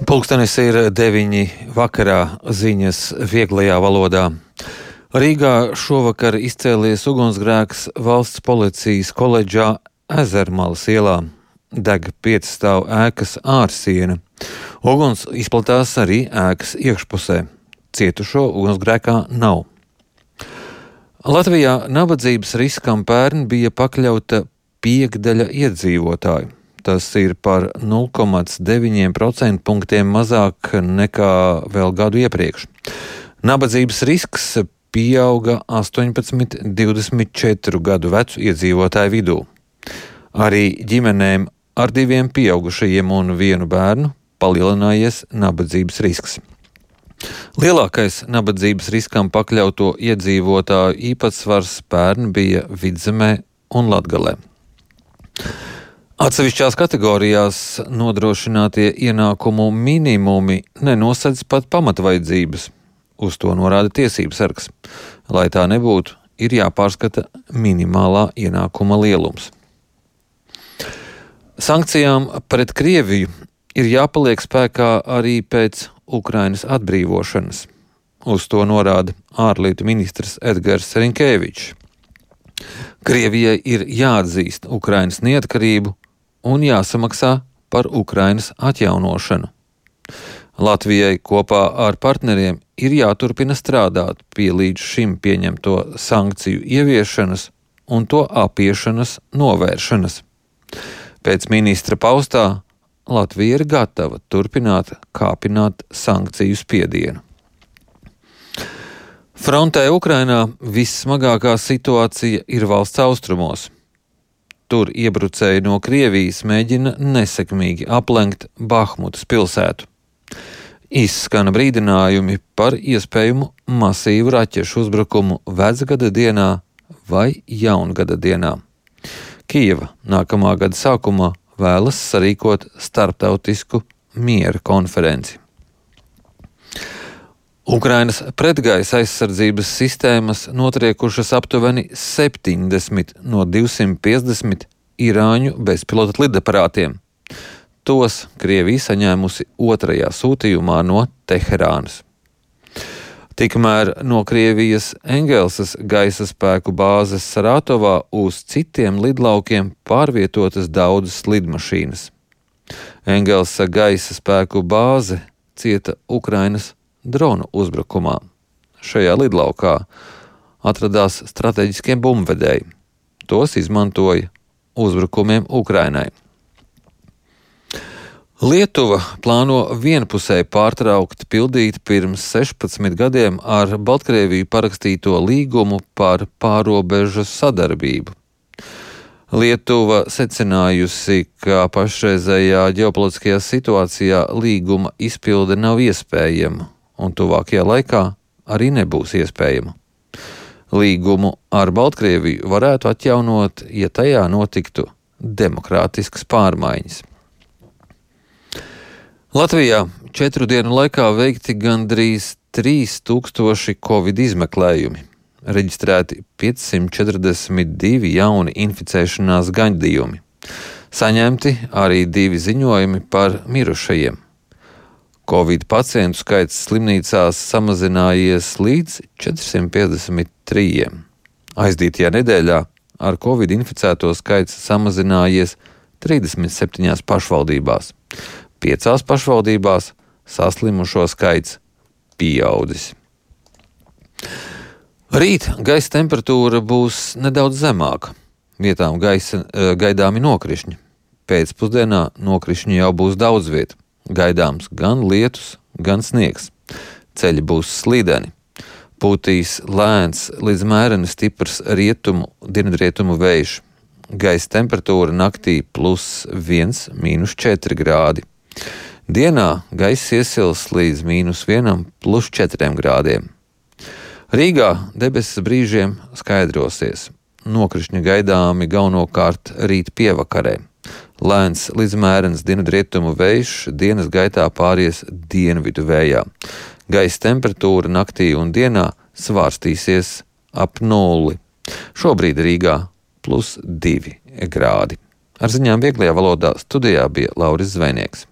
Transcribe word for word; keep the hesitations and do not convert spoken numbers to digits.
Pulkstenis ir deviņi vakarā, ziņas vieglajā valodā. Rīgā šovakar izcēlies ugunsgrēks valsts policijas koledžā Ezermalas ielā. Deg piecstāvu ēkas ārsiena. Uguns izplatās arī ēkas iekšpusē. Cietušo ugunsgrēkā nav. Latvijā nabadzības riskam pērn bija pakļauta piekdaļa iedzīvotāju. Tas ir par nulle komats deviņi procenti punktiem mazāk nekā vēl gadu iepriekš. Nabadzības risks pieauga astoņpadsmit līdz divdesmit četru gadu vecu iedzīvotāju vidū. Arī ģimenēm ar diviem pieaugušajiem un vienu bērnu palielinājies nabadzības risks. Lielākais nabadzības riskam pakļauto iedzīvotāju īpatsvars pērn bija Vidzemē un Latgalē. Atsevišķās kategorijās nodrošinātie ienākumu minimumi nenosedz pat pamatvajadzības. Uz to norāda tiesības sargs. Lai tā nebūtu, ir jāpārskata minimālā ienākuma lielums. Sankcijām pret Krieviju ir jāpaliek spēkā arī pēc Ukrainas atbrīvošanas. Uz to norāda ārlietu ministrs Edgars Rinkēvičs. Krievijai ir jāatzīst Ukrainas neatkarību un jāsamaksā par Ukrainas atjaunošanu. Latvijai kopā ar partneriem ir jāturpina strādāt pie līdz šim pieņemto sankciju ieviešanas un to apiešanas novēršanas. Pēc ministra paustā Latvija ir gatava turpināt kāpināt sankciju spiedienu. Frontē Ukrainā vissmagākā situācija ir valsts austrumos. Tur iebrucēji no Krievijas mēģina nesekmīgi aplenkt Bahmutas pilsētu. Izskana brīdinājumi par iespējamu masīvu raķešu uzbrukumu vecgada dienā vai jaungada dienā. Kijeva nākamā gada sākumā vēlas sarīkot starptautisku miera konferenci. Ukrainas pretgaisa aizsardzības sistēmas notriekušas aptuveni septiņdesmit no divsimt piecdesmit irāņu bezpilota lidaparātiem. Tos Krievija saņēmusi otrajā sūtījumā no Teherānas. Tikmēr no Krievijas Engelsas gaisa spēku bāzes Sarātovā uz citiem lidlaukiem pārvietotas daudzas lidmašīnas. Engelsa gaisa spēku bāze cieta Ukrainas dronu uzbrukumā. Šajā lidlaukā atradās strateģiskie bumbvedēji. Tos izmantoja uzbrukumiem Ukrainai. Lietuva plāno vienpusēji pārtraukt pildīt pirms sešpadsmit gadiem ar Baltkrieviju parakstīto līgumu par pārobežu sadarbību. Lietuva secinājusi, ka pašreizējā ģeopolitiskajā situācijā līguma izpilde nav iespējama un tuvākajā laikā arī nebūs iespējama. Līgumu ar Baltkrieviju varētu atjaunot, ja tajā notiktu demokrātiskas pārmaiņas. Latvijā četru dienu laikā veikti gandrīz trīs tūkstoši covid izmeklējumi. Reģistrēti piecsimt četrdesmit divi jauni inficēšanās gadījumi. Saņemti arī divi ziņojumi par mirušajiem. Covid pacientu skaits slimnīcās samazinājies līdz četrsimt piecdesmit trījiem. Aizdītajā nedēļā ar covid inficēto skaits samazinājies trīsdesmit septiņās pašvaldībās. Piecās pašvaldībās saslimušo skaits pieaudzis. Rīt gaisa temperatūra būs nedaudz zemāka. Vietām gaisa gaidāmi nokrišņi. Pēcpusdienā nokrišņi jau būs daudz viet. Gaidāms gan lietus, gan sniegs. Ceļi būs slīdeni. Pūtīs lēns līdz mēreni stiprs rietumu, dienvidrietumu vējš. Gaisa temperatūra naktī plus viens, mīnus četri grādi. Dienā gaiss iesils līdz mīnus vienam, plus četriem grādiem. Rīgā debesis brīžiem skaidrosies. Nokrišņi gaidāmi galvenokārt rīt pievakarē. Lēns līdz mērens dienvidrietumu vējš dienas gaitā pāries dienvidu vējā. Gaisa temperatūra naktī un dienā svārstīsies ap nulli. Šobrīd Rīgā plus divi grādi. Ar ziņām vieglajā valodā studijā bija Lauris Zvejnieks.